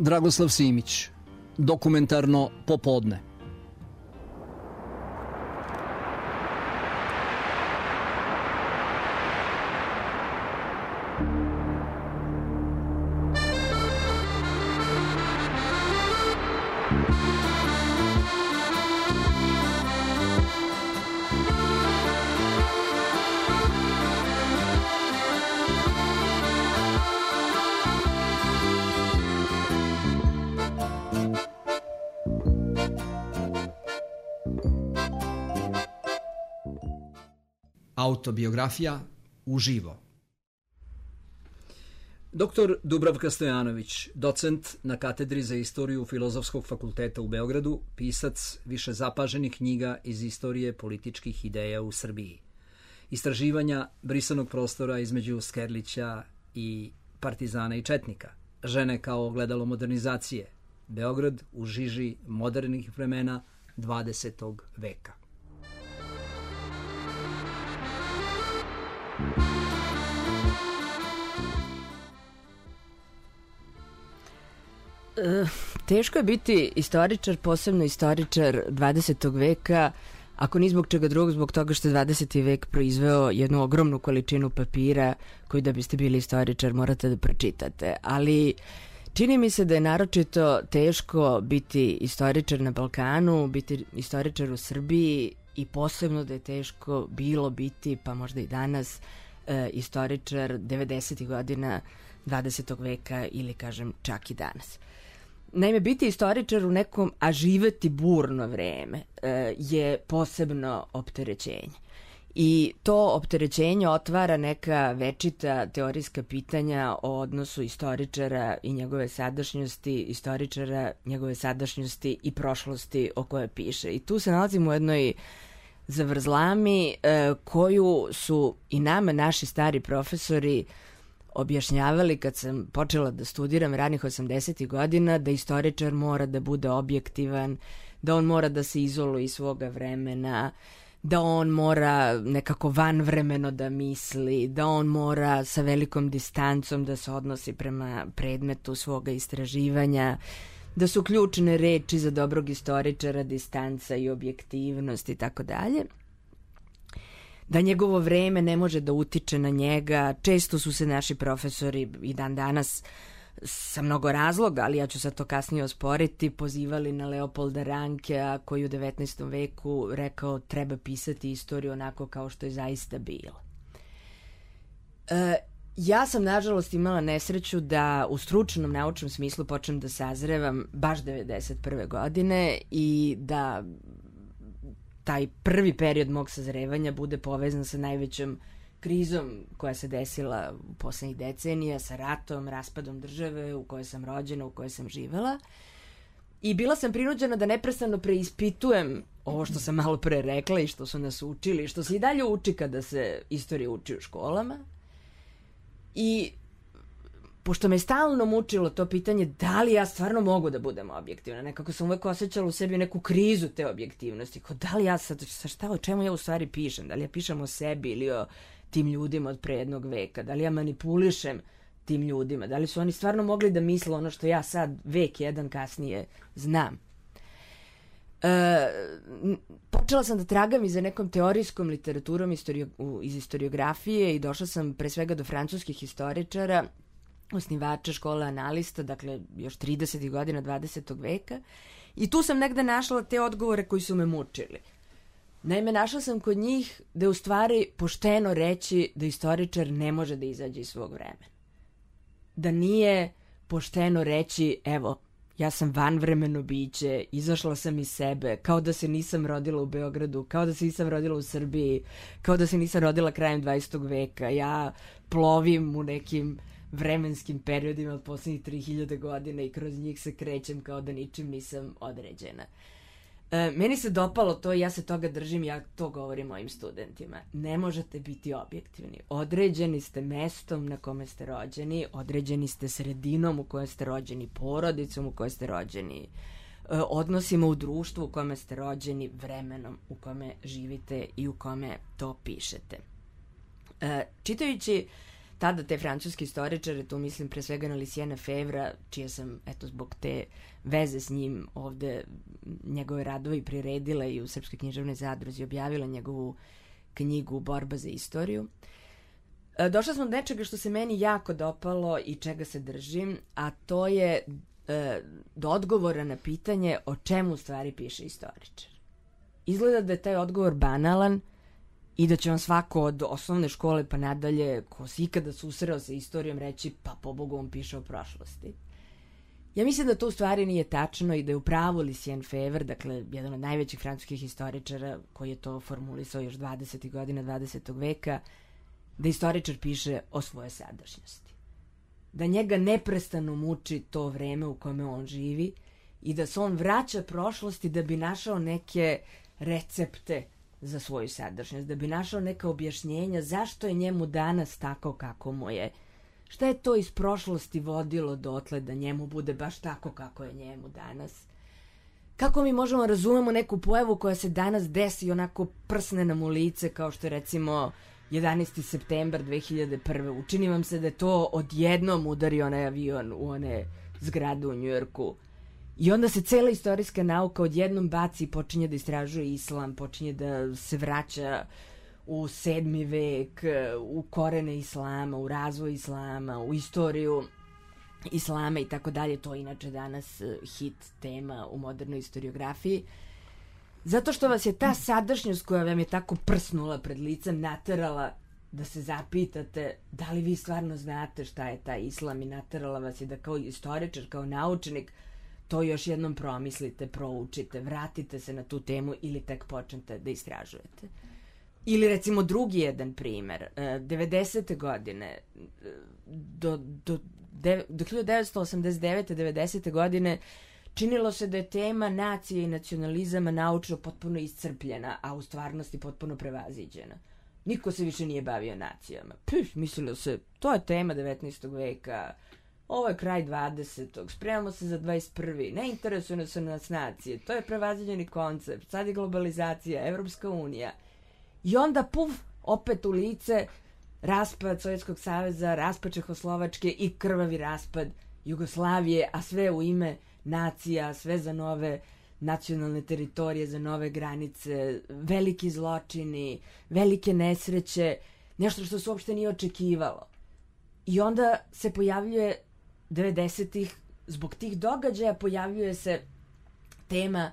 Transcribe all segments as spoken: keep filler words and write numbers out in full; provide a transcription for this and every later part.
Dragoslav Simić, Dokumentarno popodne. Autobiografija uživo. Doktor Dubravka Stojanović, docent na katedri za istoriju Filozofskog fakulteta u Beogradu, pisac više zapaženih knjiga iz istorije političkih ideja u Srbiji. Istraživanja brisanog prostora između Skerlića i partizana i četnika. Žene kao ogledalo modernizacije. Beograd u žiži modernih vremena dvadesetog veka. E, teško je biti istoričar, posebno istoričar dvadesetog veka, ako ni zbog čega drugog, zbog toga što je dvadeseti vek proizveo jednu ogromnu količinu papira koju da biste bili istoričar morate da pročitate. Ali čini mi se da je naročito teško biti istoričar na Balkanu, biti istoričar u Srbiji i posebno da je teško bilo biti, pa možda i danas, e, istoričar devedesetih godina dvadesetog veka ili kažem čak i danas. Naime, biti istoričar u nekom, a živeti burno vreme e, je posebno opterećenje. I to opterećenje otvara neka večita teorijska pitanja o odnosu istoričara i njegove sadašnjosti, istoričara, njegove sadašnjosti i prošlosti o kojoj piše. I tu se nalazimo u jednoj zavrzlami e, koju su i nama naši stari profesori objašnjavali kad sam počela da studiram ranih osamdesetih godina, da istoričar mora da bude objektivan, da on mora da se izoluje iz svoga vremena, da on mora nekako vanvremeno da misli, da on mora sa velikom distancom da se odnosi prema predmetu svoga istraživanja, da su ključne reči za dobrog istoričara distanca i objektivnost i tako dalje. Da njegovo vreme ne može da utiče na njega. Često su se naši profesori i dan danas sa mnogo razloga, ali ja ću sad to kasnije osporiti, pozivali na Leopolda Rankea koji u devetnaestom veku rekao treba pisati istoriju onako kao što je zaista bilo. E, ja sam nažalost imala nesreću da u stručnom naučnom smislu počnem da sazrevam baš devedeset prve godine i da taj prvi period mog sazrevanja bude povezan sa najvećom krizom koja se desila u poslednjih decenija, sa ratom, raspadom države u kojoj sam rođena, u kojoj sam živela. I bila sam prinuđena da neprestano preispitujem ovo što sam malo pre rekla i što su nas učili, što se i dalje uči kada se istorija uči u školama. I pošto me stalno mučilo to pitanje da li ja stvarno mogu da budem objektivna, nekako sam uvek osjećala u sebi neku krizu te objektivnosti, kao da li ja sad, sa šta, o čemu ja u stvari pišem, da li ja pišem o sebi ili o tim ljudima od pre jednog veka, da li ja manipulišem tim ljudima, da li su oni stvarno mogli da misle ono što ja sad vek jedan kasnije znam. E, počela sam da tragam i za nekom teorijskom literaturom istorio, iz istoriografije i došla sam pre svega do francuskih historičara, osnivača škole analista, dakle još tridesetih godina dvadesetog veka, i tu sam negde našla te odgovore koji su me mučili. Naime, našla sam kod njih da je u stvari pošteno reći da istoričar ne može da izađe iz svog vremena. Da nije pošteno reći, evo, ja sam vanvremeno biće, izašla sam iz sebe, kao da se nisam rodila u Beogradu, kao da se nisam rodila u Srbiji, kao da se nisam rodila krajem dvadesetog veka. Ja plovim u nekim vremenskim periodima od poslednjih tri hiljade godina i kroz njih se krećem kao da ničim nisam određena. E, meni se dopalo to i ja se toga držim, ja to govorim mojim studentima. Ne možete biti objektivni. Određeni ste mestom na kome ste rođeni, određeni ste sredinom u kojoj ste rođeni, porodicom u kojoj ste rođeni, odnosima u društvu u kome ste rođeni, vremenom u kome živite i u kome to pišete. E, čitajući tada te francuske istoričare, tu mislim pre svega na Luciena Febvra, čije sam, eto, zbog te veze s njim ovde njegove radove i priredila i u Srpskoj književnoj zadruzi objavila njegovu knjigu Borba za istoriju. Došla smo do nečega što se meni jako dopalo i čega se držim, a to je e, do odgovora na pitanje o čemu u stvari piše istoričar. Izgleda da je taj odgovor banalan i da će vam svako od osnovne škole pa nadalje, ko se ikada susreo sa istorijom, reći pa pobogu on piše o prošlosti. Ja mislim da to u stvari nije tačno i da je u pravu Lucien Febvre, dakle jedan od najvećih francuskih historičara koji je to formulisao još dvadesetih godina dvadesetog veka, da istoričar piše o svojoj sadašnjosti. Da njega neprestano muči to vreme u kome on živi i da se on vraća prošlosti da bi našao neke recepte za svoju sadašnjost, da bi našao neka objašnjenja zašto je njemu danas tako kako mu je. Šta je to iz prošlosti vodilo dotle da njemu bude baš tako kako je njemu danas? Kako mi možemo razumemo neku pojavu koja se danas desi i onako prsne nam u lice, kao što je recimo jedanaesti septembar dve hiljade prve. Učini vam se da je to odjednom udario onaj avion u one zgrade u Njujorku. I onda se cela istorijska nauka odjednom baci i počinje da istražuje islam, počinje da se vraća u sedmi vek, u korene islama, u razvoj islama, u istoriju islama i tako dalje. To je inače danas hit tema u modernoj istoriografiji. Zato što vas je ta sadašnjost koja vam je tako prsnula pred licem naterala da se zapitate da li vi stvarno znate šta je taj islam i naterala vas je da kao istoričar, kao naučnik to još jednom promislite, proučite, vratite se na tu temu ili tek počnete da istražujete. Ili recimo drugi jedan primer, devedesete godine do, do, do hiljadu devetsto osamdeset devete devedesete godine činilo se da je tema nacije i nacionalizama naučno potpuno iscrpljena, a u stvarnosti potpuno prevaziđena. Niko se više nije bavio nacijama. Pff, mislilo se, to je tema devetnaestog veka, ovo je kraj dvadesetog, spremamo se za dvadeset prvi Ne interesuju se nas nacije, to je prevaziđeni koncept, sad je globalizacija, Evropska unija. I onda, puf, opet u lice, raspad Sovjetskog saveza, raspad Čehoslovačke i krvavi raspad Jugoslavije, a sve u ime nacija, sve za nove nacionalne teritorije, za nove granice, veliki zločini, velike nesreće, nešto što se uopšte nije očekivalo. I onda se pojavljuje devedesetih, zbog tih događaja pojavljuje se tema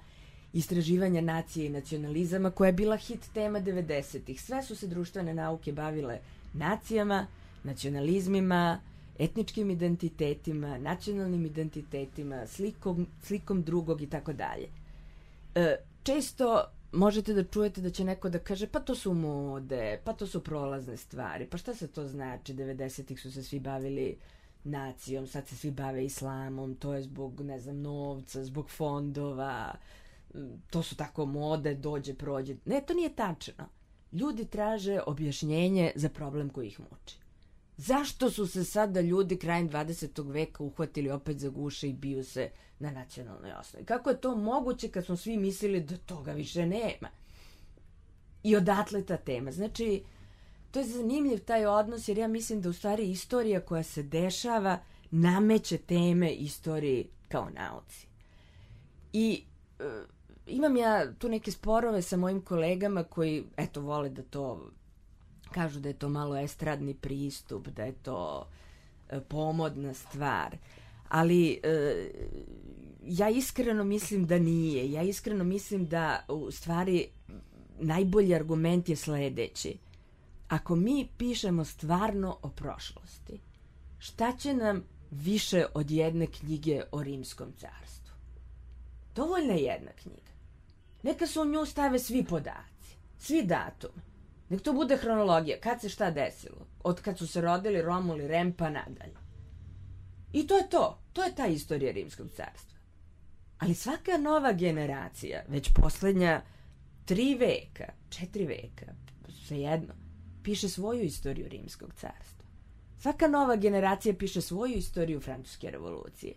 istraživanja nacije i nacionalizama koja je bila hit tema devedesetih. Sve su se društvene nauke bavile nacijama, nacionalizmima, etničkim identitetima, nacionalnim identitetima, slikom, slikom drugog i tako dalje. Često možete da čujete da će neko da kaže pa to su mode, pa to su prolazne stvari, pa šta se to znači, devedesetih su se svi bavili nacijom, sad se svi bave islamom, to je zbog, ne znam, novca, zbog fondova, to su tako mode, dođe, prođe. Ne, to nije tačno. Ljudi traže objašnjenje za problem koji ih muči. Zašto su se sada ljudi krajem dvadesetog veka uhvatili opet za guše i biju se na nacionalnoj osnovi? Kako je to moguće kad smo svi mislili da toga više nema? I odatle ta tema. Znači, to je zanimljiv taj odnos, jer ja mislim da u stvari istorija koja se dešava nameće teme istoriji kao nauci. I e, imam ja tu neke sporove sa mojim kolegama koji, eto, vole da to kažu da je to malo estradni pristup, da je to e, pomodna stvar. Ali e, ja iskreno mislim da nije. Ja iskreno mislim da u stvari najbolji argument je sledeći. Ako mi pišemo stvarno o prošlosti, šta će nam više od jedne knjige o Rimskom carstvu? Dovoljna je jedna knjiga. Neka se u nju stave svi podaci, svi datumi. Nek to bude hronologija, kad se šta desilo, od kad su se rodili Romul i Rem pa nadalje. I to je to, to je ta istorija Rimskog carstva. Ali svaka nova generacija, već poslednja tri veka, četiri veka, svejedno, piše svoju istoriju Rimskog carstva. Svaka nova generacija piše svoju istoriju Francuske revolucije.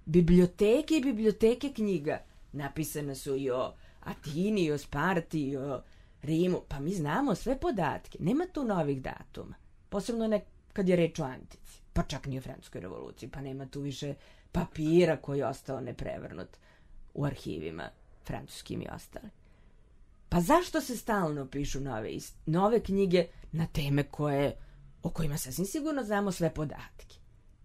Biblioteke i biblioteke knjiga napisane su i o Atini, i o Sparti, i o Rimu. Pa mi znamo sve podatke. Nema tu novih datuma. Posebno ne kad je reč o antici, pa čak ni o francuskoj revoluciji, pa nema tu više papira koji je ostao neprevrnut u arhivima francuskim i ostali. Pa zašto se stalno pišu nove, nove knjige na teme koje, o kojima sasvim sigurno znamo sve podatke?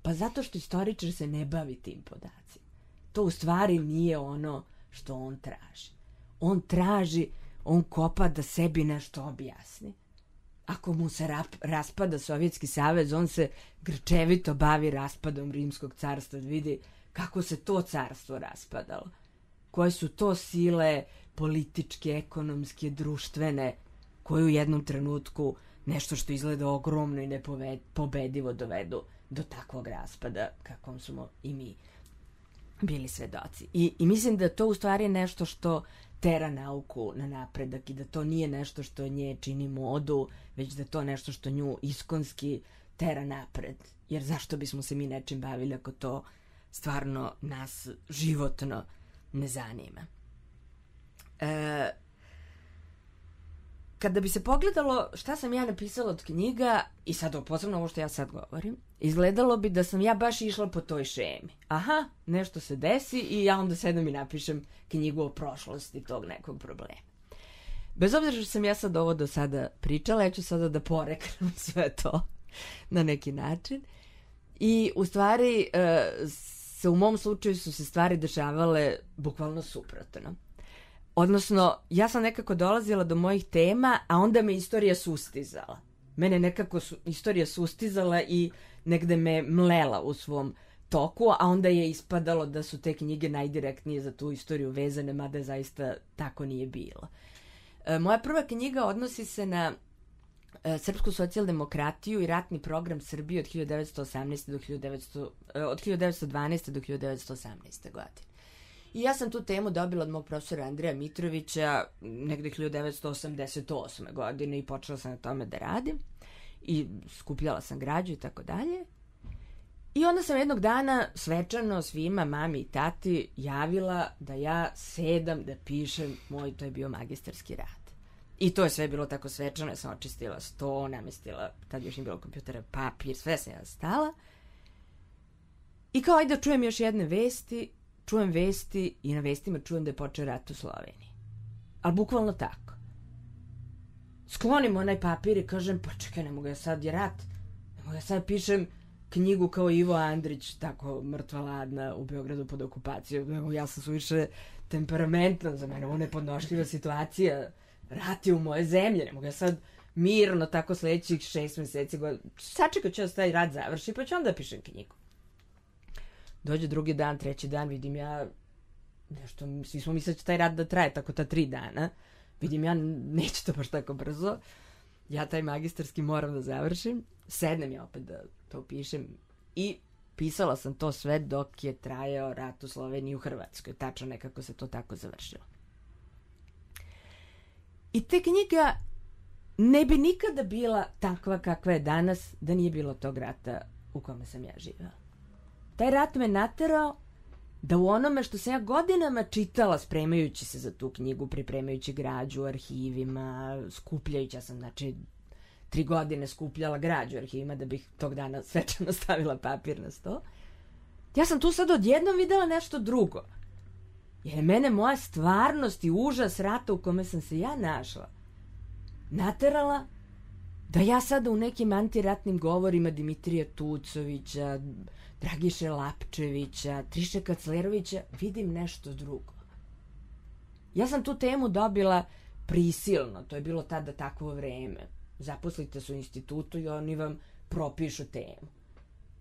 Pa zato što istoričar se ne bavi tim podacima. To u stvari nije ono što on traži. On traži, on kopa da sebi nešto objasni. Ako mu se rap, raspada Sovjetski savez, on se grčevito bavi raspadom Rimskog carstva, da vidi kako se to carstvo raspadalo. Koje su to sile političke, ekonomske, društvene, koje u jednom trenutku nešto što izgleda ogromno i nepobedivo dovedu do takvog raspada kakvom smo i mi bili svedoci. I, i mislim da to u stvari je nešto što tera nauku na napredak i da to nije nešto što nje čini modu, već da to nešto što nju iskonski tera napred. Jer zašto bismo se mi nečim bavili ako to stvarno nas životno ne zanima. E, kada bi se pogledalo šta sam ja napisala od knjiga, i sad posebno ovo što ja sad govorim, izgledalo bi da sam ja baš išla po toj šemi. Aha, nešto se desi i ja onda sedam i napišem knjigu o prošlosti tog nekog problema. Bez obzira što sam ja sad ovo do sada pričala, ja ću sada da poreknem sve to na neki način. I u stvari e, se u mom slučaju su se stvari dešavale bukvalno suprotno. Odnosno, ja sam nekako dolazila do mojih tema, a onda me istorija sustizala. Mene nekako su, istorija sustizala i negde me mlela u svom toku, a onda je ispadalo da su te knjige najdirektnije za tu istoriju vezane, mada zaista tako nije bilo. E, moja prva knjiga odnosi se na e, srpsku socijaldemokratiju i ratni program Srbije od hiljadu devetsto osamnaeste do hiljadu devetsto, e, od hiljadu devetsto dvanaeste do hiljadu devetsto osamnaeste godine. I ja sam tu temu dobila od mog profesora Andreja Mitrovića negde hiljadu devetsto osamdeset osme godine i počela sam na tome da radim i skupljala sam građu i tako dalje. I onda sam jednog dana svečano svima, mami i tati, javila da ja sedam da pišem moj, to je bio magistarski rad. I to je sve bilo tako svečano, ja sam očistila sto, namestila, tad još nije bilo kompjutera, papir, sve sam ja stala. I kao ajde da čujem još jedne vesti, čujem vesti i na vestima čujem da je počeo rat u Sloveniji. Ali bukvalno tako. Sklonim onaj papir i kažem, pa čekaj, ne mogu ja sad, je rat. Ne mogu ja sad pišem knjigu kao Ivo Andrić, tako mrtva ladna u Beogradu pod okupacijom. Ja sam suviše temperamentna, za mene ovo nepodnošljiva situacija. Rat je u moje zemlje, ne mogu ja sad mirno tako sledećih šest meseci. Sačekat ću da se taj rat završi, pa ću onda pišem knjigu. Dođe drugi dan, treći dan, vidim ja nešto, svi smo mislili da će taj rat da traje tako ta tri dana. Vidim ja, neće to baš tako brzo. Ja taj magistarski moram da završim. Sednem ja opet da to pišem i pisala sam to sve dok je trajao rat u Sloveniji i u Hrvatskoj. Tačno nekako se to tako završilo. I te knjiga ne bi nikada bila takva kakva je danas da nije bilo tog rata u kome sam ja živela. Taj rat me naterao da u onome što sam ja godinama čitala spremajući se za tu knjigu, pripremajući građu u arhivima, skupljajući, ja sam znači tri godine skupljala građu u arhivima da bih tog dana svečano stavila papir na sto. Ja sam tu sad odjednom videla nešto drugo. Jer je mene moja stvarnost i užas rata u kome sam se ja našla naterala da ja sada u nekim antiratnim govorima Dimitrija Tucovića, Dragiše Lapčevića, Triše Kaclerovića vidim nešto drugo. Ja sam tu temu dobila prisilno, to je bilo tada takvo vreme. Zaposlite se u institutu i oni vam propišu temu.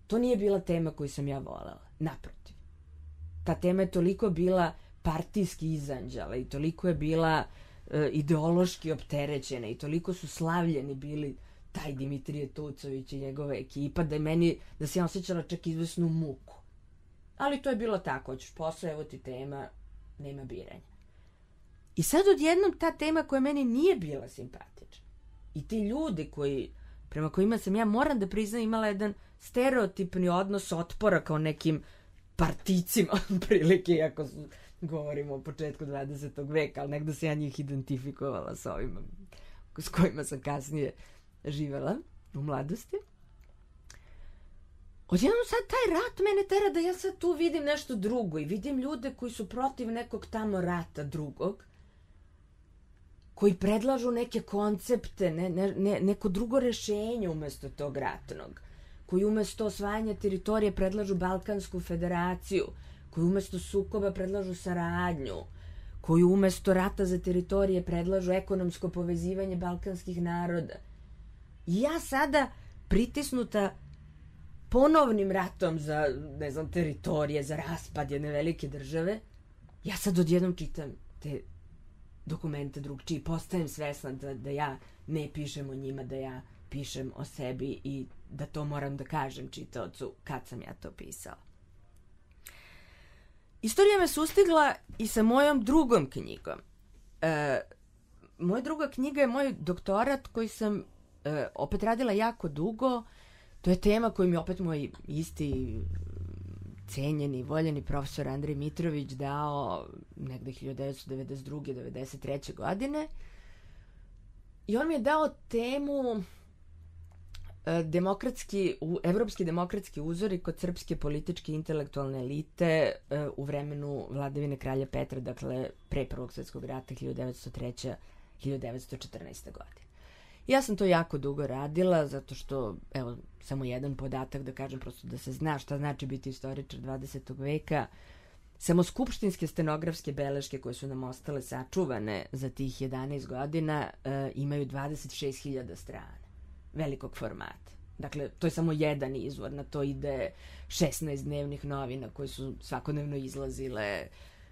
To nije bila tema koju sam ja volela, naprotiv. Ta tema je toliko bila partijski izanđala i toliko je bila e, ideološki opterećena i toliko su slavljeni bili taj Dimitrije Tucović i njegova ekipa, da je meni, da se ja osjećala čak izvesnu muku. Ali to je bilo tako, hoćeš posao, evo ti tema, nema biranja. I sad odjednom ta tema koja meni nije bila simpatična i ti ljudi koji, prema kojima sam ja, moram da priznam, imala jedan stereotipni odnos otpora kao nekim particima, prilike, ako su, govorimo o početku dvadesetog veka, ali negdje se ja njih identifikovala s ovima s kojima sam kasnije živela u mladosti. odjednom sad taj rat mene tera da ja sad tu vidim nešto drugo i vidim ljude koji su protiv nekog tamo rata drugog, koji predlažu neke koncepte, ne, ne, ne, neko drugo rešenje umesto tog ratnog, koji umesto osvajanja teritorije predlažu Balkansku federaciju, koji umesto sukoba predlažu saradnju, koji umesto rata za teritorije predlažu ekonomsko povezivanje balkanskih naroda. I ja sada pritisnuta ponovnim ratom za, ne znam, teritorije, za raspad jedne velike države, ja sad odjednom čitam te dokumente drugčiji, postajem svesna da, da ja ne pišem o njima, da ja pišem o sebi i da to moram da kažem čitaocu kad sam ja to pisala. Istorija me sustigla i sa mojom drugom knjigom. E, moja druga knjiga je moj doktorat koji sam e, opet radila jako dugo. To je tema koju mi opet moj isti cenjeni, voljeni profesor Andrej Mitrović dao negde hiljadu devetsto devedeset druge devedeset treće godine. I on mi je dao temu demokratski, evropski demokratski uzori kod srpske političke intelektualne elite u vremenu vladavine kralja Petra, dakle pre Prvog svjetskog rata hiljadu devetsto treće do hiljadu devetsto četrnaeste. godine. Ja sam to jako dugo radila, zato što, evo, samo jedan podatak da kažem, prosto da se zna šta znači biti istoričar dvadesetog veka. Samo skupštinske stenografske beleške koje su nam ostale sačuvane za tih jedanaest godina e, imaju dvadeset šest hiljada strana velikog formata. Dakle, to je samo jedan izvor, na to ide šesnaest dnevnih novina koje su svakodnevno izlazile,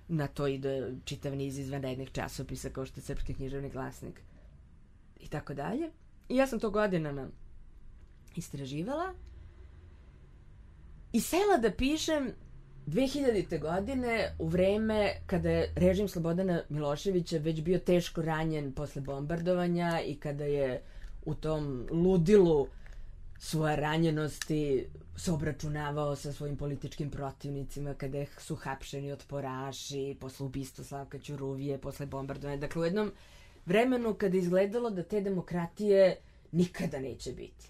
na to ide čitav niz izvanrednih časopisa kao što je Srpski književni glasnik i tako dalje. I ja sam to godinama istraživala i sela da pišem dve hiljadite. godine u vreme kada je režim Slobodana Miloševića već bio teško ranjen posle bombardovanja i kada je u tom ludilu svoje ranjenosti se obračunavao sa svojim političkim protivnicima, kada su hapšeni otporaši, posle ubistva Slavka Ćuruvije, posle bombardovanja. Dakle, u jednom vremenu kada je izgledalo da te demokratije nikada neće biti.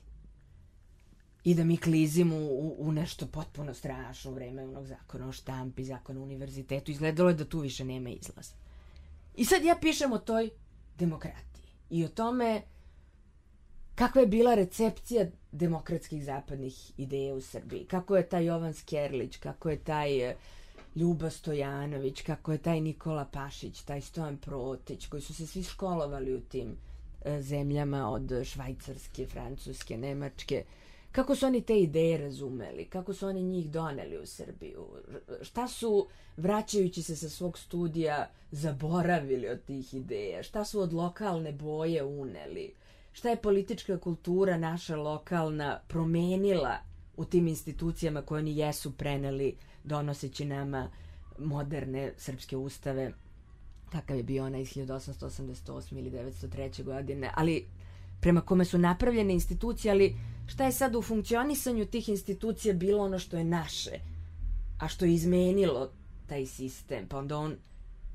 I da mi klizimo u, u nešto potpuno strašno u vreme onog zakona o štampi, zakona o univerzitetu. Izgledalo je da tu više nema izlaza. I sad ja pišem o toj demokratiji i o tome kakva je bila recepcija demokratskih zapadnih ideja u Srbiji. Kako je taj Jovan Skerlić, kako je taj Ljuba Stojanović, kako je taj Nikola Pašić, taj Stojan Protić, koji su se svi školovali u tim e, zemljama od Švajcarske, Francuske, Nemačke. Kako su oni te ideje razumeli, kako su oni njih doneli u Srbiju, šta su, vraćajući se sa svog studija, zaboravili od tih ideja, šta su od lokalne boje uneli, šta je politička kultura naša lokalna promenila u tim institucijama koje oni jesu preneli donoseći nama moderne srpske ustave, kakav je bio onaj iz hiljadu osamsto osamdeset osme ili devetsto treće. godine, ali prema kome su napravljene institucije, ali šta je sad u funkcionisanju tih institucija bilo ono što je naše, a što je izmenilo taj sistem, pa onda on,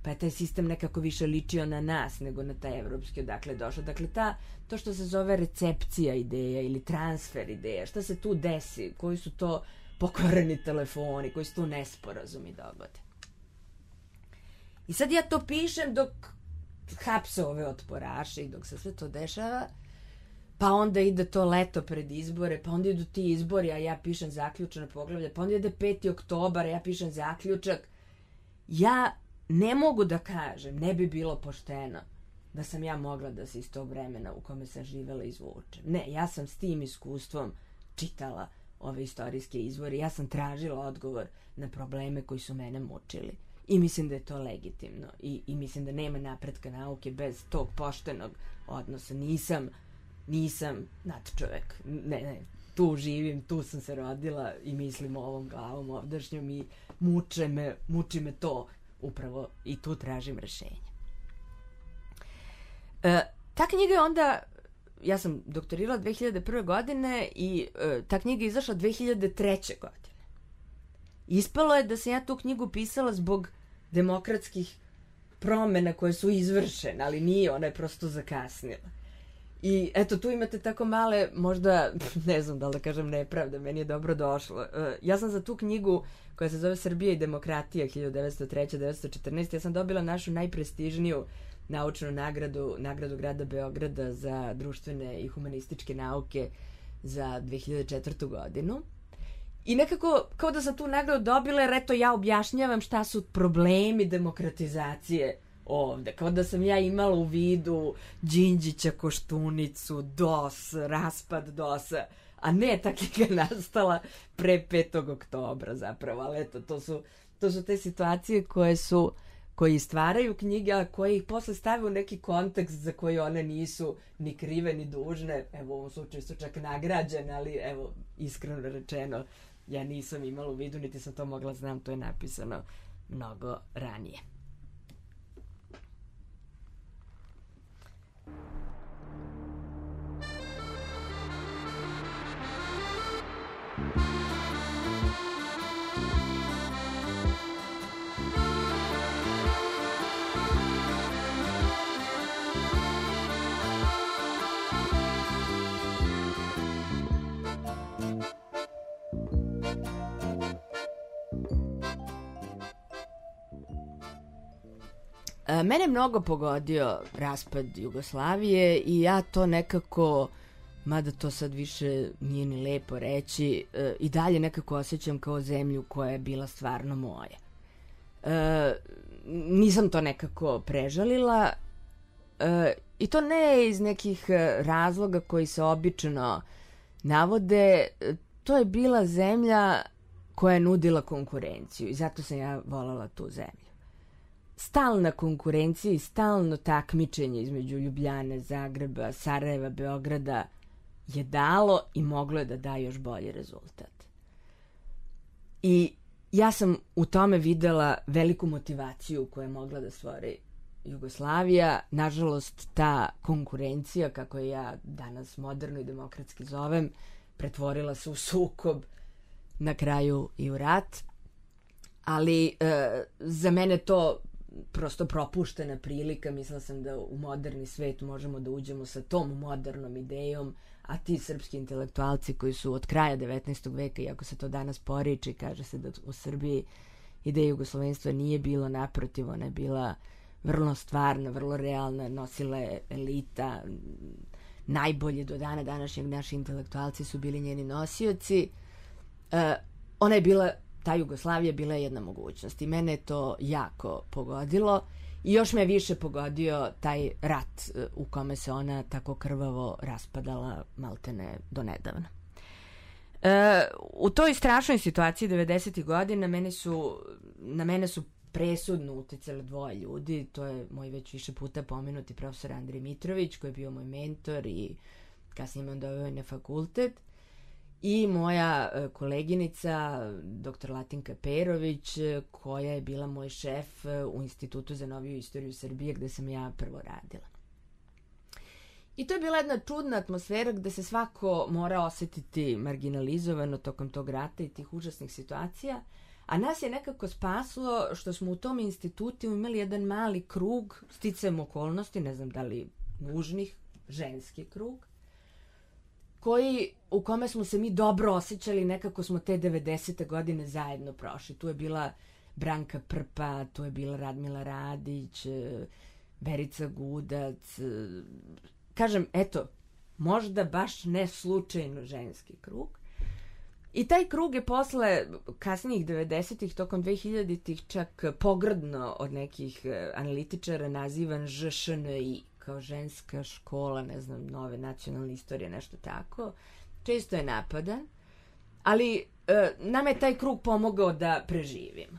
pa je taj sistem nekako više ličio na nas nego na taj evropski odakle došao. Dakle, ta, to što se zove recepcija ideja ili transfer ideja, šta se tu desi, koji su to pokvareni telefoni, koji su tu nesporazumi dogode. I sad ja to pišem dok hapse ove otporaše i dok se sve to dešava, pa onda ide to leto pred izbore, pa onda idu ti izbori, a ja pišem zaključne poglavlje, pa onda ide peti oktobar, a ja pišem zaključak. Ja ne mogu da kažem, ne bi bilo pošteno da sam ja mogla da se iz tog vremena u kome sam živela izvučem. Ne, ja sam s tim iskustvom čitala ove istorijske izvore, ja sam tražila odgovor na probleme koji su mene mučili. I mislim da je to legitimno. I, i mislim da nema napretka nauke bez tog poštenog odnosa. Nisam, nisam nadčovek. Ne, ne, tu živim, tu sam se rodila i mislim ovom glavom ovdašnjom i muče me, muči me to upravo i tu tražim rešenje. E, ta knjiga je onda, ja sam doktorirala dve hiljade prve. godine i e, ta knjiga je izašla dve hiljade treće. godine. Ispalo je da sam ja tu knjigu pisala zbog demokratskih promena koje su izvršene, ali nije, ona je prosto zakasnila. I eto, tu imate tako male, možda, ne znam da li da kažem nepravda, meni je dobro došlo. Ja sam za tu knjigu koja se zove Srbija i demokratija hiljadu devetsto treće do devetsto četrnaeste. Ja sam dobila našu najprestižniju naučnu nagradu, nagradu grada Beograda za društvene i humanističke nauke za dve hiljade četvrtu godinu. I nekako, kao da sam tu nagradu dobila, jer eto ja objašnjavam šta su problemi demokratizacije ovde. Kao da sam ja imala u vidu Đinđića, Koštunicu, D O S, raspad D O S-a, a ne ta knjiga nastala pre petog oktobra zapravo. Ali eto, to su, to su te situacije koje su koji stvaraju knjige, a koje ih posle stave u neki kontekst za koji one nisu ni krive ni dužne. Evo, u ovom slučaju su čak nagrađene, ali evo, iskreno rečeno, ja nisam imala u vidu, niti sam to mogla znam, to je napisano mnogo ranije. Mene mnogo pogodio raspad Jugoslavije i ja to nekako, mada to sad više nije ni lepo reći, i dalje nekako osjećam kao zemlju koja je bila stvarno moja. E, nisam to nekako prežalila e, i to ne iz nekih razloga koji se obično navode. To je bila zemlja koja je nudila konkurenciju i zato sam ja voljela tu zemlju. Stalna konkurencija i stalno takmičenje između Ljubljane, Zagreba, Sarajeva, Beograda je dalo i moglo je da da još bolji rezultat. I ja sam u tome videla veliku motivaciju koju je mogla da stvori Jugoslavija. Nažalost, ta konkurencija, kako je ja danas moderno i demokratski zovem, pretvorila se u sukob, na kraju i u rat. Ali e, za mene to prosto propuštena prilika. Mislila sam da u moderni svet možemo da uđemo sa tom modernom idejom, a ti srpski intelektualci koji su od kraja devetnaestog veka, iako se to danas poriči, kaže se da u Srbiji ideja jugoslovenstva nije bilo, naprotiv, ona je bila vrlo stvarna, vrlo realna, nosila je elita, najbolje do dana današnjeg naši intelektualci su bili njeni nosioci. E, ona je bila, ta Jugoslavija bila je jedna mogućnost i mene je to jako pogodilo i još me više pogodio taj rat u kome se ona tako krvavo raspadala maltene do nedavno. E, u toj strašnoj situaciji devedesetih godina mene su, na mene su presudno uticali dvoje ljudi. To je moj već više puta pomenuti profesor Andrej Mitrović, koji je bio moj mentor i kasnije me on doveo na fakultet, i moja koleginica doktor Latinka Perović, koja je bila moj šef u Institutu za noviju istoriju Srbije, gde sam ja prvo radila. I to je bila jedna čudna atmosfera gde se svako mora osetiti marginalizovano tokom tog rata i tih užasnih situacija, a nas je nekako spaslo što smo u tom institutu imali jedan mali krug, sticajem okolnosti, ne znam da li nužnih, ženski krug, koji, u kome smo se mi dobro osjećali, nekako smo te devedesete godine zajedno prošli. Tu je bila Branka Prpa, tu je bila Radmila Radić, Verica Gudac. Kažem, eto, možda baš ne slučajno ženski krug. I taj krug je posle kasnijih devedesetih, tokom dvehiljaditih, čak pogrdno od nekih analitičara nazivan Ž Š N I, kao ženska škola, ne znam, nove nacionalne istorije, nešto tako. Često je napadan, ali e, nama je taj krug pomogao da preživimo.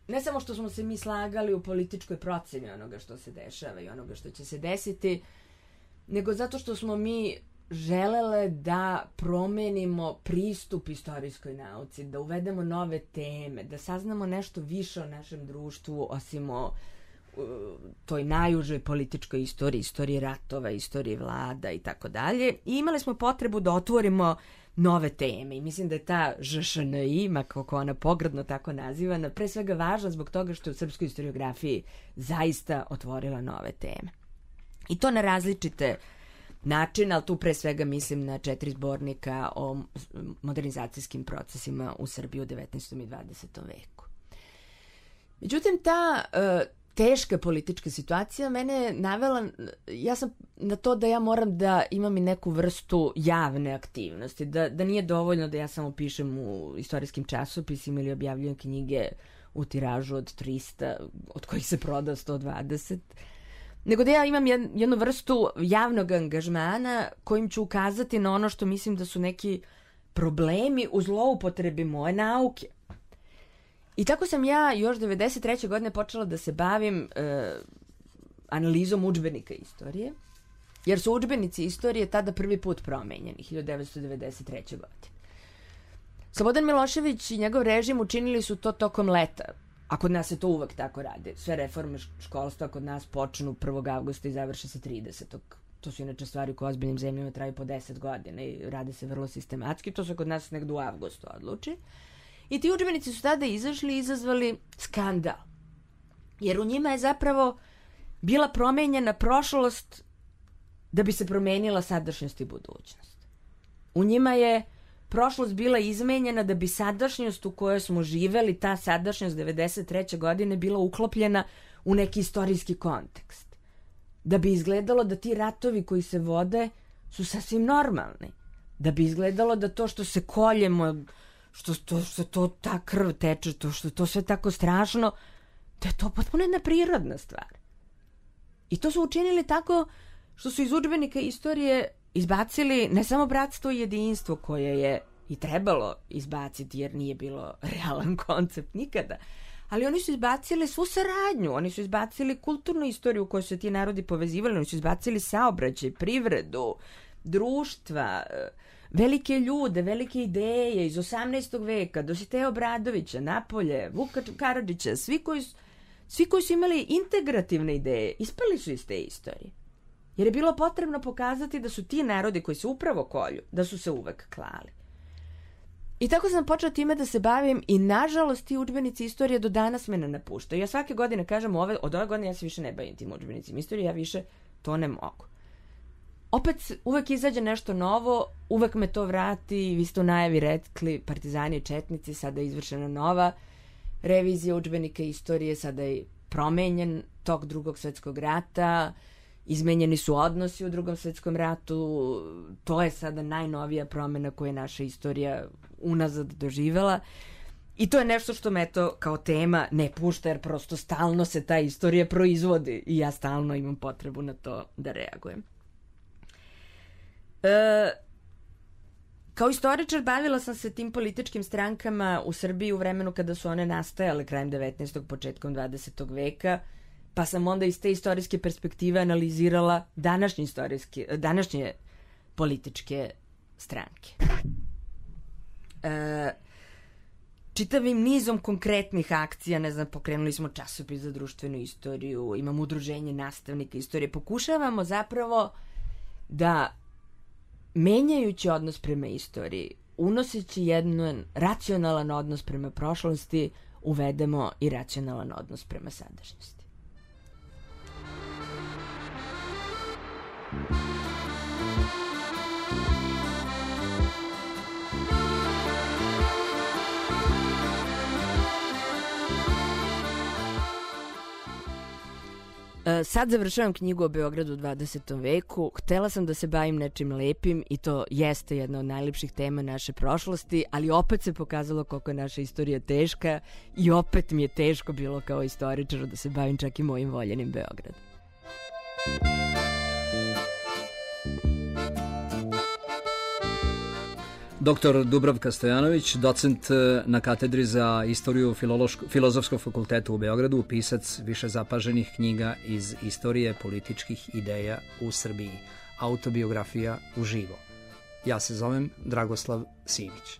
Ne samo što smo se mi slagali u političkoj proceni onoga što se dešava i onoga što će se desiti, nego zato što smo mi želele da promenimo pristup istorijskoj nauci, da uvedemo nove teme, da saznamo nešto više o našem društvu, osim o toj najužoj političkoj istoriji, istoriji ratova, istoriji vlada i tako dalje. I imali smo potrebu da otvorimo nove teme i mislim da je ta Ž Š N I, kako ona pogrdno tako nazivana, pre svega važna zbog toga što je u srpskoj historiografiji zaista otvorila nove teme. I to na različite način, ali tu pre svega mislim na četiri zbornika o modernizacijskim procesima u Srbiji u devetnaestom i dvadesetom veku. Međutim, ta uh, teška politička situacija mene je navela, ja sam na to da ja moram da imam i neku vrstu javne aktivnosti, da, da nije dovoljno da ja samo pišem u istorijskim časopisima ili objavljujem knjige u tiražu od trista, od kojih se proda sto dvadeset, nego da ja imam jednu vrstu javnog angažmana kojim ću ukazati na ono što mislim da su neki problemi u zloupotrebi moje nauke. I tako sam ja još devedeset treće godine počela da se bavim e, analizom udžbenika istorije, jer su udžbenici istorije tada prvi put promenjeni, hiljadu devetsto devedeset treće godine. Slobodan Milošević i njegov režim učinili su to tokom leta, a kod nas se to uvek tako radi. Sve reforme školstva kod nas počnu prvog avgusta i završe se tridesetog To su inače stvari koje ozbiljnim zemljama traju po deset godina i rade se vrlo sistematski. To se kod nas negdje u avgustu odluči. I ti udžbenici su tada izašli i izazvali skandal. Jer u njima je zapravo bila promenjena prošlost da bi se promenila sadašnjost i budućnost. U njima je prošlost bila izmenjena da bi sadašnjost u kojoj smo živeli, ta sadašnjost devedeset treće godine bila uklopljena u neki istorijski kontekst. Da bi izgledalo da ti ratovi koji se vode su sasvim normalni. Da bi izgledalo da to što se koljemo, što to, što to ta krv teče, to što to sve tako strašno, da je to potpuno jedna prirodna stvar. I to su učinili tako što su iz udžbenika istorije izbacili ne samo bratstvo i jedinstvo koje je i trebalo izbaciti jer nije bilo realan koncept nikada, ali oni su izbacili svu saradnju, oni su izbacili kulturnu istoriju u kojoj su ti narodi povezivali, oni su izbacili saobraćaj, privredu, društva, velike ljude, velike ideje iz osamnaestog veka, Dositeja Obradovića, Napolje, Vuka Karadžića, svi koji, svi koji su imali integrativne ideje, ispali su iz te istorije. Jer je bilo potrebno pokazati da su ti narodi koji se upravo kolju, da su se uvek klali. I tako sam počela time da se bavim i nažalost ti udžbenici istorije do danas me ne napuštaju. Ja svake godine kažem ove, od ove godine ja se više ne bavim tim udžbenicima istorije, ja više to ne mogu. Opet uvek izađe nešto novo, uvek me to vrati, vi ste u najavi rekli Partizani i Četnici, sada je izvršena nova revizija udžbenika istorije, sada je promenjen tok Drugog svjetskog rata, izmenjeni su odnosi u Drugom svjetskom ratu, to je sada najnovija promjena koju je naša istorija unazad doživela i to je nešto što me to kao tema ne pušta jer prosto stalno se ta istorija proizvodi i ja stalno imam potrebu na to da reagujem. E, kao istoričar bavila sam se tim političkim strankama u Srbiji u vremenu kada su one nastajale krajem devetnaestog početkom dvadesetog veka, pa sam onda iz te istorijske perspektive analizirala današnje, istorijske, današnje političke stranke. E, čitavim nizom konkretnih akcija, ne znam, pokrenuli smo časopis za društvenu istoriju, imamo udruženje nastavnika istorije, pokušavamo zapravo da menjajući odnos prema istoriji, unoseći jedan racionalan odnos prema prošlosti, uvedemo i racionalan odnos prema sadašnjosti. Sad završavam knjigu o Beogradu u dvadesetom veku. Htela sam da se bavim nečim lepim i to jeste jedna od najlepših tema naše prošlosti, ali opet se pokazalo koliko je naša istorija teška i opet mi je teško bilo kao istoričaru da se bavim čak i mojim voljenim Beogradom. Doktor Dubravka Stojanović, docent na katedri za istoriju Filozofskog fakulteta u Beogradu, pisac više zapaženih knjiga iz istorije političkih ideja u Srbiji. Autobiografija uživo. Ja se zovem Dragoslav Simić.